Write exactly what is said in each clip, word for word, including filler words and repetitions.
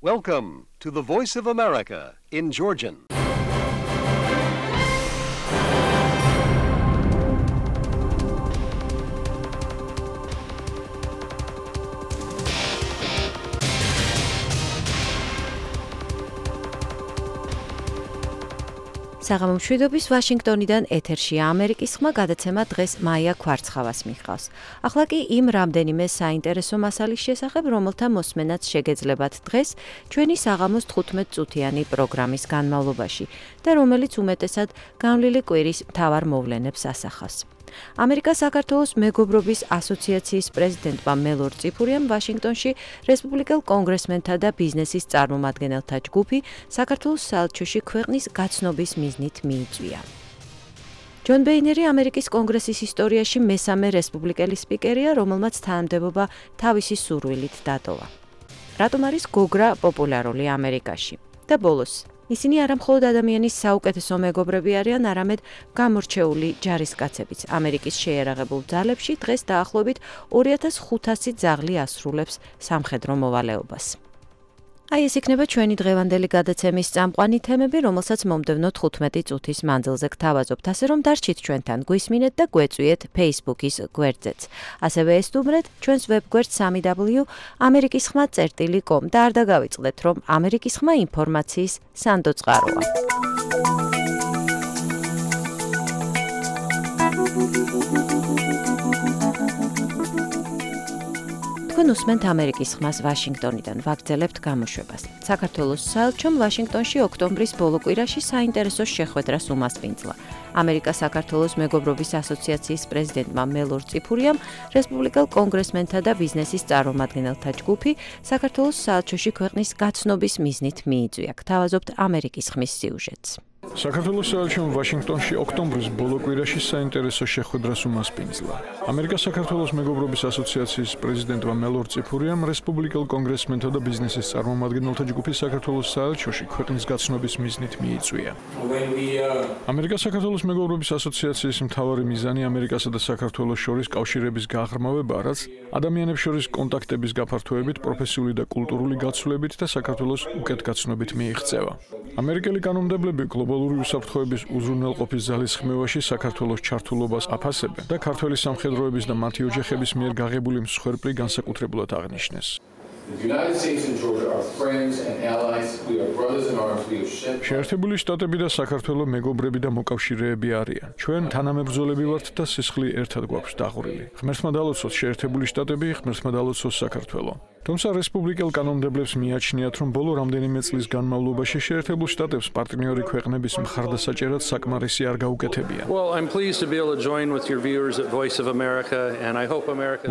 Welcome to the Voice of America in Georgian. საღამომშვიდობის ვაშინგტონიდან ეთერშია ამერიკის ხმა გადაცემა დღეს მაია ქვარცხავას მიჰყავს. ახლა კი იმ რამდენიმე საინტერესო მასალის შესახებ, რომელთა მოსმენაც შეგეძლებათ დღეს ჩვენი საღამოს თხუთმეტ წუთიანი პროგრამის განმავლობაში და რომელიც უმეტესად განვლილი კვირის მთავარ მოვლენებს ასახავს. ამერიკა-საქართველოს მეგობრობის ასოციაციის პრეზიდენტმა მელორ წიფურიამ ვაშინგტონში რესპუბლიკელ კონგრესმენთა და ბიზნესის წარმომადგენელთა ჯგუფი საქართველოს საელჩოში ქვეყნის გაცნობის მიზნით მიიწვია. ჯონ ბეინერი ამერიკის კონგრესის ისტორიაში მესამე რესპუბლიკელი სპიკერია, რომელმაც თანამდებობა თავისი სურვილით დატოვა. რატომ არის გოგრა პოპულარული ამერიკაში? და ბოლოს ისინი არა მხოლოდ ადამიანის საუკეთესო მეგობრები არიან, არამედ გამორჩეული ჯარისკაცებიც. ამერიკის შეიარაღებულ ძალებში დღეს დაახლოებით ორი ათას ხუთასი ძაღლი ასრულებს სამხედრო მოვალეობას. აი ეს იქნება ჩვენი დღევანდელი გადაცემის წამყვანი თემები, რომელსაც მომდევნო თხუთმეტი წუთის მანძილზე გთავაზობთ, ასე რომ დარჩით ჩვენთან, გვისმინეთ და გვეწვიეთ Facebook-ის გვერდზეც. ასევე ესტუმრეთ ჩვენს ვებგვერდ სამი დაბლიუ ამერიკის ხმა წერტილი კომ და არ დაგავიწყდეთ, რომ ამერიკის ხმა ინფორმაციის სანდო წყაროა. თქვენ უსმენთ ამერიკის ხმას ვაშინგტონიდან, ვაგრძელებთ გამოშვებას. საქართველოს საელჩომ ვაშინგტონში ოქტომბრის ბოლო კვირაში საინტერესო შეხვედრას უმასპინძლა. ამერიკა-საქართველოს მეგობრობის ასოციაციის პრეზიდენტმა მელორ წიფურიამ რესპუბლიკელ კონგრესმენთა და ბიზნესის წარმომადგენელთა ჯგუფი საქართველოს საელჩოში ქვეყნის გაცნობის მიზნით მიიწვია. გთავაზობთ ამერიკის ხმის სიუჟეტს. საქართველოს საელჩომ ვაშინგტონში ოქტომბრის ბოლო კვირაში საინტერესო შეხვედრას უმასპინძლა. ამერიკა-საქართველოს მეგობრობის ასოციაციის პრეზიდენტმა მელორ წიფურიამ რესპუბლიკელ კონგრესმენთა და ბიზნესის წარმომადგენელთა ჯგუფი საქართველოს საელჩოში ქვეყნის გაცნობის მიზნით მიიწვია. ამერიკა-საქართველოს მეგობრობის ასოციაციის მთავარი მიზანი ამერიკასა და საქართველოს შორის კავშირების გაღრმავება, რაც ადამიანებს შორის კონტაქტების გაფართოებით, პროფესიული და კულტურული გაცვლებით და საქართველოს უკეთგაცნობით მიიღწევა. ამერიკელი კანონმდებლები გლობალური უსაფრთხოების უზრუნველყოფის ძალისხმევაში საქართველოს ჩართულობას აფასებენ და ქართველი სამხედროების და მათი ოჯახების მიერ გაღებული მსხვერპლი განსაკუთრებულად აღნიშნეს. შეერთებული შტატები და საქართველო მეგობრები და მოკავშირეები არიან. ჩვენ თანამებრძოლები ვართ და სისხლი ერთად გვაქვს დაღვრილი. ღმერთმა დალოცოს შეერთებული შტატები, ღმერთმა დალოცოს საქართველო. თუმცა რესპუბლიკელ კანონმდებლებს მიაჩნიათ, რომ ბოლო რამდენიმე წლის განმავლობაში შეერთებულ შტატებს პარტნიორი ქვეყნების მხარდასაჭერად საკმარისი არ გაუკეთებიან.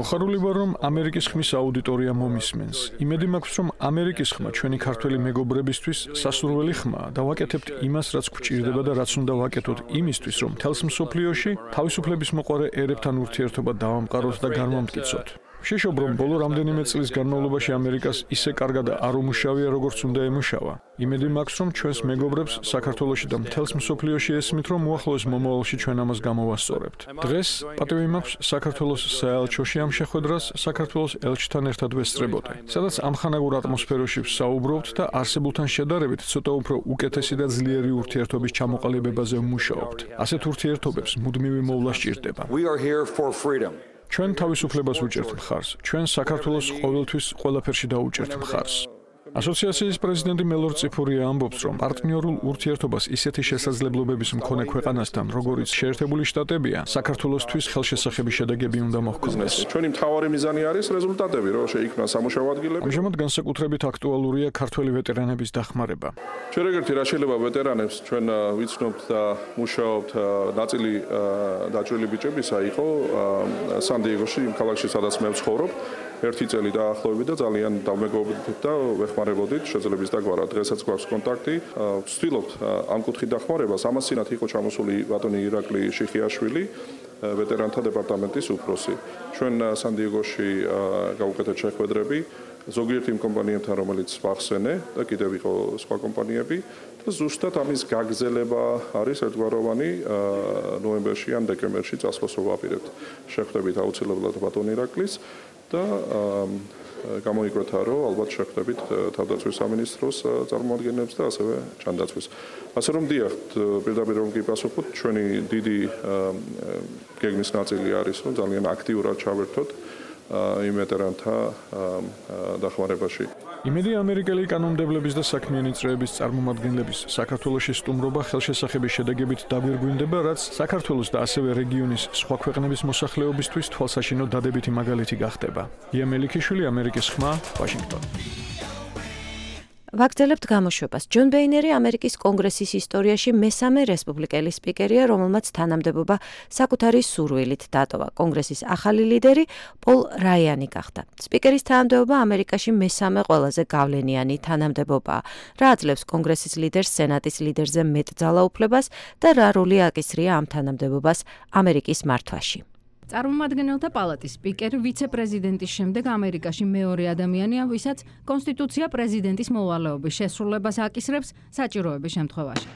მოხარული ვარ, რომ ამერიკის ხმის აუდიტორია მომისმენს. იმედი მაქვს, რომ ამერიკის ხმა ჩვენი ქართველი მეგობრებისთვის სასურველი ხმაა და ვაკეთებთ იმას, რაც გვჭირდება და რაც უნდა ვაკეთოთ იმისთვის, რომ მთელს მსოფლიოში თავისუფლების მოყვარე ერებთან ურთიერთობა დავამყაროთ და განვამტკიცოთ. შეშობ, რომ ბოლო რამდენიმე წლის განმავლობაში ამერიკას ისე კარგად არ უმუშავია, როგორც უნდა ემუშავა. იმედი მაქვს, რომ ჩვენს მეგობრებს საქართველოში და მთელს მსოფლიოში ესმით, რომ უახლოეს მომავალში ჩვენ ამას გამოვასწორებთ. დღეს პატივი მაქვს საქართველოს საელჩოში ამ შეხვედრას საქართველოს ელჩთან ერთად ვესწრებოდე, სადაც ამხანაგურ ატმოსფეროში ვსაუბრობთ და არსებულთან შედარებით ცოტა უფრო უკეთესი და ძლიერი ურთიერთობის ჩამოყალიბებაზე ვმუშაობთ. ასეთ ურთიერთობებს მუდმივი მოვლა სჭირდება. ჩვენ თავისუფლებას ვუჭერთ მხარს. ჩვენ საქართველოს ყოველთვის ყველაფერში დაუჭერთ მხარს. ასოციაციის პრეზიდენტი მელორ წიფურია ამბობს, რომ პარტნიორულ ურთიერთობას ისეთი შესაძლებლობების მქონე ქვეყანასთან, როგორიც შეერთებული შტატებია, საქართველოსთვის ხელშესახები შედეგები უნდა მოჰქონდეს. ჩვენი მთავარი მიზანი არის რეზულტატები, რომ შეიქმნა სამუშაო ადგილები. ამჟამად განსაკუთრებით აქტუალურია ქართველი ვეტერანების დახმარება. ჩვენ ეგერთი რა შეიძლება ვეტერანებს ჩვენ ვიცნობთ და მუშაობთ, ნაწილი დაჭრილი ბიჭებისა იყო სან-დიეგოში, იმ ქალაქში, სადაც მე ვცხოვრობ. ერთი წელი დაახლოებით და ძალიან დავმეგობრდით და ვეხმარებოდით შეძლების დაგვარა. დღესაც გვაქვს კონტაქტი. ვცდილობთ ამ კუთხით დახმარებას. ამას წინათ იყო ჩამოსული ბატონი ირაკლი შიხიაშვილი, ვეტერანთა დეპარტამენტის უფროსი. ჩვენ სან-დიეგოში გავუკეთეთ შეხვედრები ზოგიერთ იმ კომპანიებთან, რომელიც ვახსენე და კიდევ იყო სხვა კომპანიები და ზუსტად ამის გაგრძელება არის ერთგვაროვანი ნოემბერში ან დეკემბერში წასვლას ვაპირებთ. შეხვდებით აუცილებლად ბატონ ირაკლის და გამოიკვეთა, რომ ალბათ შეხვდებით თავდაცვის სამინისტროს წარმომადგენლებს და ასევე ჯანდაცვის. ასე რომ დიახ, პირდაპირ რომ კი პასუხობთ, ჩვენი დიდი გეგმის ნაწილი არის, რომ ძალიან აქტიურად ჩავერთოთ იმ ვეტერანთა დახმარებაში. იმედი ამერიკელი კანონმდებლების და საქმიანი წრეების წარმომადგენლების საქართველოში სტუმრობა ხელშესახების შედეგებით დაგვირგვინდება, რაც საქართველოს და ასევე რეგიონის სხვა ქვეყნების მოსახლეობისთვის თვალსაჩინო დადებითი მაგალითი გახდება. ია მელიქიშვილი, ამერიკის ხმა, ვაშინგტონი. ვაგრძელებთ გამოშვებას. ჯონ ბეინერი ამერიკის კონგრესის ისტორიაში მესამე რესპუბლიკელი სპიკერია, რომელმაც თანამდებობა საკუთარი სურვილით დატოვა. კონგრესის ახალი ლიდერი პოლ რაიანი გახდა. სპიკერის თანამდებობა ამერიკაში მესამე ყველაზე გავლენიანი თანამდებობაა, რა აძლევს კონგრესის ლიდერს სენატის ლიდერზე მეტ ძალაუფლებას და რა როლი აკისრია ამ თანამდებობას ამერიკის მართვაში. წარმომადგენელთა პალატის სპიკერი ვიცე-პრეზიდენტის შემდეგ ამერიკაში მეორე ადამიანია, ვისაც კონსტიტუცია პრეზიდენტის მოვალეობის შესრულებას აკისრებს საჭიროების შემთხვევაში.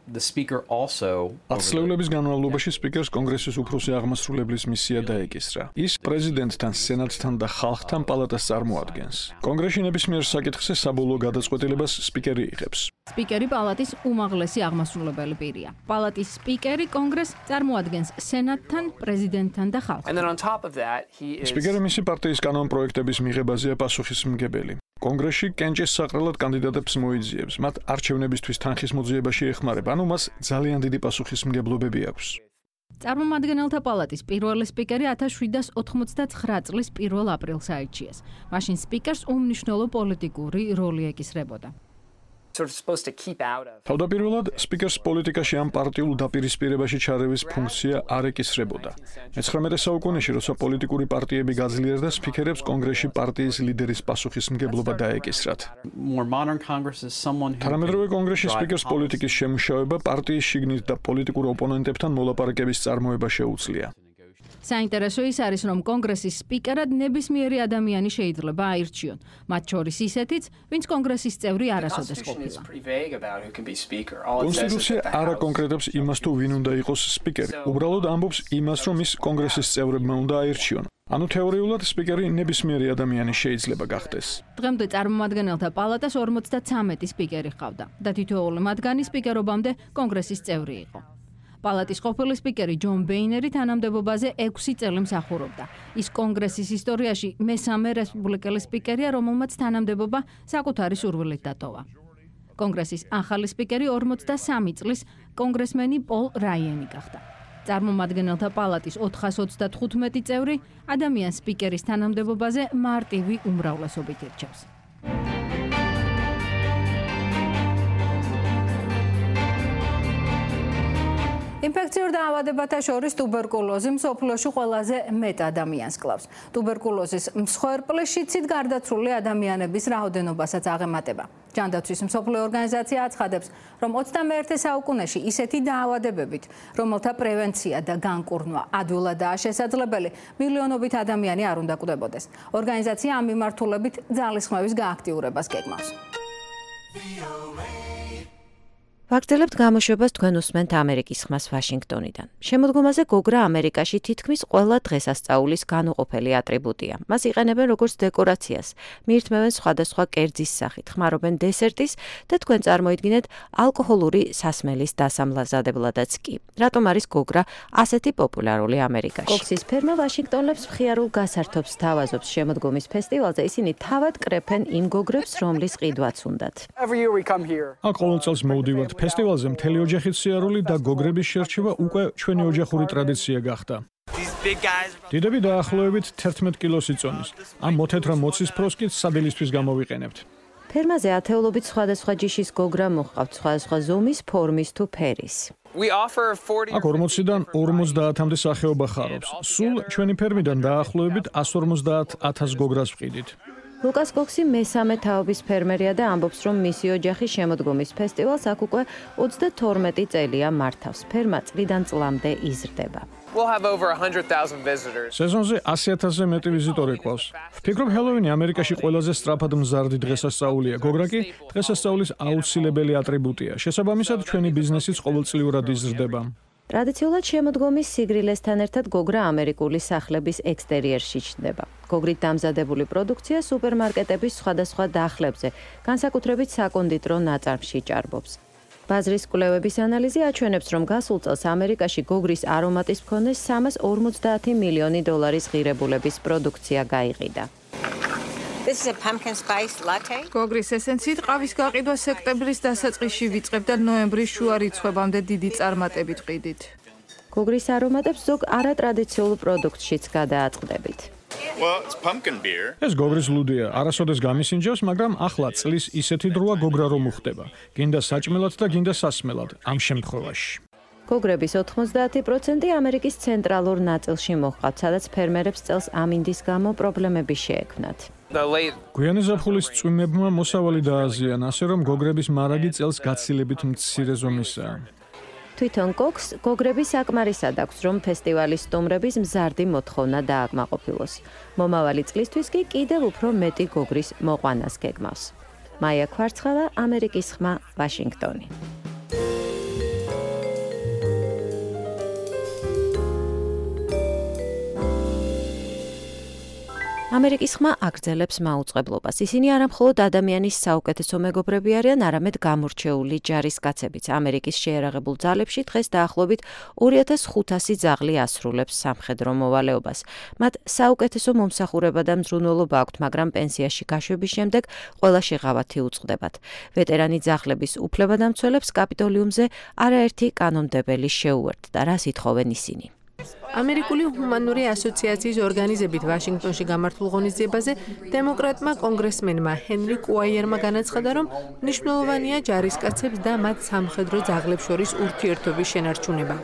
The speaker also ათწლეულების განმავლობაში სპიკერს კონგრესის უფროსი აღმასრულებლის მისია დაეკისრა. ის პრეზიდენტთან, სენატთან და ხალხთან პალატას წარმოადგენს. კონგრესში ნებისმიერ საკითხზე საბოლოო გადაწყვეტილებას სპიკერი იღებს. სპიკერი პალატის უმაღლესი აღმასრულებელი პირია. პალატის სპიკერი კონგრესს წარმოადგენს სენატთან, პრეზიდენტთან და ხალხთან. And then on top of that, he is სპიკერი მისი პარტიის კანონპროექტების მიღებაზეა პასუხისმგებელი. კონგრესში კენჭის საყრელად კანდიდატებს მოიძიებს, მათ არჩევნებისთვის თანხის მოძიებაში ეხმარება, ანუ მას ძალიან დიდი პასუხისმგებლობები აქვს. წარმომადგენელთა პალატის პირველი სპიკერი ათას შვიდსათ ოთხმოცდათცხრა წლის პირველ აპრილს აირჩიეს. მაშინ სპიკერს უმნიშვნელო პოლიტიკური როლი ეკისრებოდა. sort of supposed to keep out of. თავდაპირველად სპიკერს პოლიტიკაში ამ პარტიულ დაპირისპირებაში ჩარევის ფუნქცია არ ეკისრებოდა. მეცხრამეტე საუკუნეში, როცა პოლიტიკური პარტიები გაძლიერდა, სპიკერებს კონგრესში პარტიის ლიდერის პასუხისმგებლობა დაეკისრათ. More modern Congress is someone who თანამედროვე კონგრესში drive სპიკერს პოლიტიკის შემუშავება, პარტიის შიგნით და პოლიტიკურ ოპონენტებთან მოლაპარაკების წარმოება შეუძლია. საინტერესო ის არის, რომ კონგრესის სპიკერად ნებისმიერი ადამიანი შეიძლება აირჩიონ, მათ შორის ისეთიც, ვინც კონგრესის წევრი არასოდეს ყოფილა. კონსტიტუცია არ აკონკრეტებს იმას, თუ ვინ უნდა იყოს სპიკერი. უბრალოდ ამბობს იმას, რომ ის კონგრესის წევრებმა უნდა აირჩიონ. ანუ თეორიულად სპიკერი ნებისმიერი ადამიანი შეიძლება გახდეს. დღემდე წარმომადგენელთა პალატას ორმოცდათრამეტი სპიკერი ჰყავდა და თითოეული მათგანი სპიკერობამდე კონგრესის წევრი იყო. პალატის ყოფილი სპიკერი ჯონ ბეინერი თანამდებობაზე ექვსი წელი მსახურობდა. ის კონგრესის ისტორიაში მესამე რესპუბლიკელი სპიკერია, რომელმაც თანამდებობა საკუთარი სურვილით დატოვა. კონგრესის ახალი სპიკერი ორმოცდასამი წლის კონგრესმენი პოლ რაიანი გახდა. წარმომადგენელთა პალატის ოთხას ოცდათხუთმეტი წევრი ადამიანს სპიკერის თანამდებობაზე მარტივი უმრავლესობით ირჩევს. ინფექციურ დაავადებათა შორის ტუბერკულოზი მსოფლიოში ყველაზე მეტ ადამიანს კლავს. ტუბერკულოზის მსხვერპლის შიცით გარდაცვლილი ადამიანების რაოდენობასაც აღემატება. ჯანდაცვის მსოფლიო ორგანიზაცია აცხადებს, რომ ოცდამეერთე საუკუნეში ისეთი დაავადებებით, რომელთა პრევენცია და განკურნვა ადვილადაა შესაძლებელი, მილიონობით ადამიანი არ უნდა კვდებოდეს. ორგანიზაცია ამ მიმართულებით ძალისხმევის გააქტიურებას გეგმავს. ვაგრძელებთ გამოშვებას თქვენ უსმენთ ამერიკის ხმას ვაშინგტონიდან. შემოდგომაზე გოგრა ამერიკაში თითქმის ყველა დღესასწაულის განუყოფელი ატრიბუტია. მას იყენებენ როგორც დეკორაციას, მიირთმევენ სხვადასხვა კერძის სახით, ხმარობენ დესერტის და თქვენ წარმოიდგინეთ ალკოჰოლური სასმელის დასამლაზაებლადაც კი. რატომ არის გოგრა ასეთი პოპულარული ამერიკაში? კოქსის ფერმა ვაშინგტონელებს მხიარულ გასართობს თავაზობს შემოდგომის ფესტივალზე, ისინი თავად კრეფენ იმ გოგრებს, რომლის ყიდვაც უნდათ. აქ ყოველ წელს მოვდივართ ფესტივალზე მთელი ოჯახით სიარული და გოგრების შერჩევა უკვე ჩვენი ოჯახური ტრადიცია გახდა. დიდები დაახლოებით თერთმეტ კილოს იწონის. ამ მოთეთრ მოცისფროს კი სადილისთვის გამოვიყენებთ. ფერმაზე ათეულობით სხვადასხვა ჯიშის გოგრა მოჰყავთ, სხვადასხვა ზომის, ფორმის თუ ფერის. აქ ორმოციდან ორმოცდაათამდე სახეობა ხარობს. სულ ჩვენი ფერმიდან დაახლოებით ასს ორმოცდაათ ათას გოგრას ვყიდით. ლუკას კოქსი მესამე თაობის ფერმერია და ამბობს, რომ მისი ოჯახი შემოდგომის ფესტივალს აქ უკვე ოცდათორმეტი წელია მართავს. ფერმა წლიდან წლამდე იზრდება. სეზონზე ასი ათასზე მეტი ვიზიტორი ყავს. ვფიქრობ, ჰელოვინი ამერიკაში ყველაზე სწრაფად მზარდი დღესასწაულია. გოგრა კი დღესასწაულის აუცილებელი ატრიბუტია. შესაბამისად, ჩვენი ბიზნესიც ყოველწლიურად იზრდება. ტრადიციულად შემოდგომის სიგრილესთან ერთად გოგრა ამერიკული სახლების ექსტერიერში ჩნდება. გოგრით დამზადებული პროდუქცია სუპერმარკეტების სხვადასხვა დახლებზე, განსაკუთრებით საკონდიტრო ნაწარმში ჭარბობს. ბაზრის კვლევების ანალიზი აჩვენებს, რომ გასულ წელს ამერიკაში გოგრის არომატის მქონე სამას ორმოცდაათი მილიონი დოლარის ღირებულების პროდუქცია გაიყიდა. This is a pumpkin spice latte. გოგრის ესენციით ყავის გაყიდვა სექტემბრის დასაწყისში ვიწყებ და ნოემბრის შუა რიცხვებამდე დიდი წარმატებით ყიდით. გოგრის არომატებს ზოგ არატრადიციულ პროდუქტშიც გადააწყდებით. Well, it's pumpkin beer. ეს გოგრის ლუდია, არასოდეს გამისინჯებს, მაგრამ ახლა წლის ისეთი დროა გოგრა რომ უხდება. გინდა საჭმელად და გინდა სასმელად ამ შემთხვევაში. გოგრების ოთხმოცდაათი პროცენტი ამერიკის ცენტრალურ ნაწილში მოჰყავთ, სადაც ფერმერებს წელს ამინდის გამო პრობლემები შეექმნათ. გვიანი ზაფხულის წვიმებმა მოსავალი დააზიანა, ასე რომ გოგრების მარაგი წელს გაცილებით მცირე ზომისაა. თვითონ კოქს გოგრები საკმარისად აქვს, რომ ფესტივალის სტუმრების მზარდი მოთხოვნა დააკმაყოფილოს. მომავალი წლისთვის კი კიდევ უფრო მეტი გოგრის მოყვანას გეგმავს. მაია კვარცხავა, ამერიკის ხმა, ვაშინგტონი. ამერიკის ხმა აგრძელებს მაუწყებლობას. ისინი არამხოლოდ ადამიანის საუკეთესო მეგობრები არიან, არამედ გამორჩეული ჯარისკაცებიც. ამერიკის შეერაღებულ ძალებში დღეს დაახლოებით ორი ათას ხუთასი ძაღლი ასრულებს სამხედრო მოვალეობას. მათ საუკეთესო მომსახურება და მზრუნველობა აქვთ, მაგრამ პენსიაში გაშვების შემდეგ ყველა შეღავათი უწყდებათ. ვეტერანი ძაღლების უფლებადამცველებს კაპიტოლიუმზე არაერთი კანონმდებელი შეუერთდა, რას ითხოვენ ისინი. ამერიკული ჰუმანური ასოციაციის ორგანიზებით ვაშინგტონში გამართულ ღონისძიებაზე დემოკრატმა კონგრესმენმა ჰენრი კუაიერმა განაცხადა, რომ მნიშვნელოვანია ჯარისკაცებს და მათ სამხედრო ძაღლებს შორის ურთიერთობის შენარჩუნება.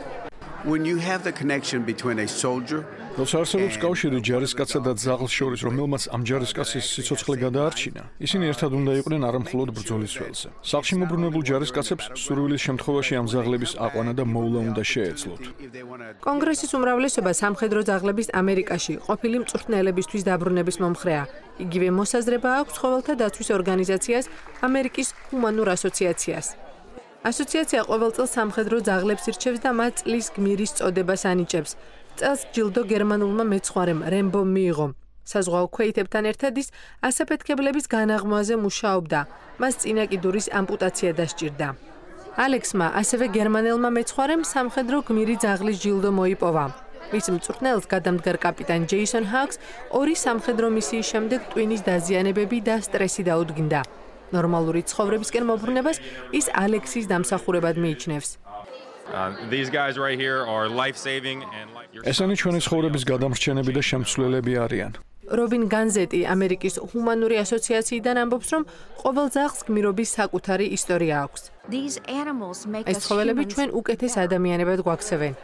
When you have the connection between a soldier როცა არსებობს კავშირი ჯარისკაცსა და ძაღლს შორის, რომელმაც ამ ჯარისკაცის სიცოცხლე გადაარჩინა, ისინი ერთად უნდა იყვნენ არამხოლოდ ბრძოლის ველზე. სახლში მობრუნებულ ჯარისკაცებს სურვილის შემთხვევაში ამ ძაღლების აყვანა და მოვლა უნდა შეეძლოთ. კონგრესის უმრავლესობა სამხედრო ძაღლების ამერიკაში ყოფილი მწვრთნელებისთვის დაბრუნების მომხრეა. იგივე მოსაზრება აქვს ცხოველთა დაცვის ორგანიზაციას ამერიკის ჰუმანურ ასოციაციას. ასოციაცია ყოველ წელს სამხედრო ძაღლებს ირჩევს და მათ წლის გმირის წოდებას ანიჭებს. წელს ჯილდო გერმანულმა მეცხვარემ რემბომ მიიღო. საზღვაო ქვეითებთან ერთად ის ასაფეთქებლების განაღმვაზე მუშაობდა. მას წინა კიდურის ამპუტაცია დასჭირდა. ალექსმა, ასევე გერმანელმა მეცხვარემ სამხედრო გმირი ძაღლის ჯილდო მოიპოვა. მის მწვრთნელს გადამდგარ კაპიტან ჯეისონ ჰაკს ორი სამხედრო მისიის შემდეგ ტვინის დაზიანებები და სტრესი დაუდგინდა. ნორმალური ცხოვრებისკენ მობრუნებას ის ალექსის დამსახურებად მიიჩნევს. ესენი ჩვენი ცხოვრების გადამრჩენები და შემცვლელები არიან. რობინ განზეტი ამერიკის ჰუმანური ასოციაციიდან ამბობს, რომ ყოველ ძაღლს გმირობის საკუთარი ისტორია აქვს. ეს ცხოველები ჩვენ უკეთეს ადამიანებად გვაქცევენ.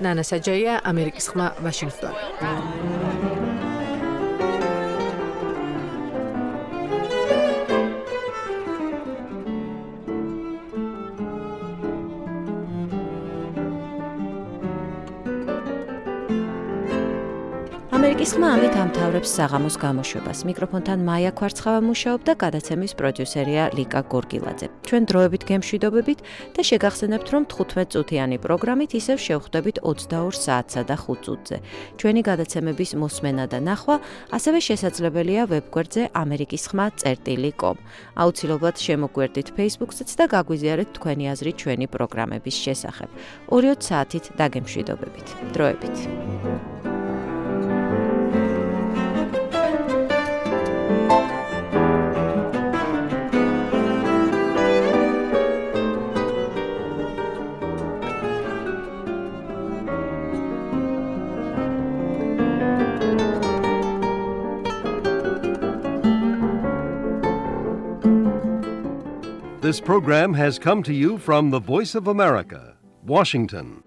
ნანა საჯაია, ამერიკის ხმა, ვაშინგტონი. ამერიკის ხმა ამით ამთავრებს საღამოს გამოშვებას. მიკროფონთან მაია კვარცხავა მუშაობდა, გადაცემის პროდიუსერია ლიკა გორგილაძე. ჩვენ დროებით გემშვიდობებით და შეგახსენებთ, რომ თხუთმეტ წუთიანი პროგრამით ისევ შევხვდებით ოცდაორ საათსა და ხუთ წუთზე. ჩვენი გადაცემების მოსმენა და ნახვა ასევე შესაძლებელია ვებგვერდზე ამერიკის ხმა წერტილი კომ. აუცილებლად შემოგვერდით Facebook-ზეც და გაგვიზიარეთ თქვენი აზრი ჩვენი პროგრამების შესახებ. ორი საათით დაგემშვიდობებით. დროებით. This program has come to you from the Voice of America, Washington.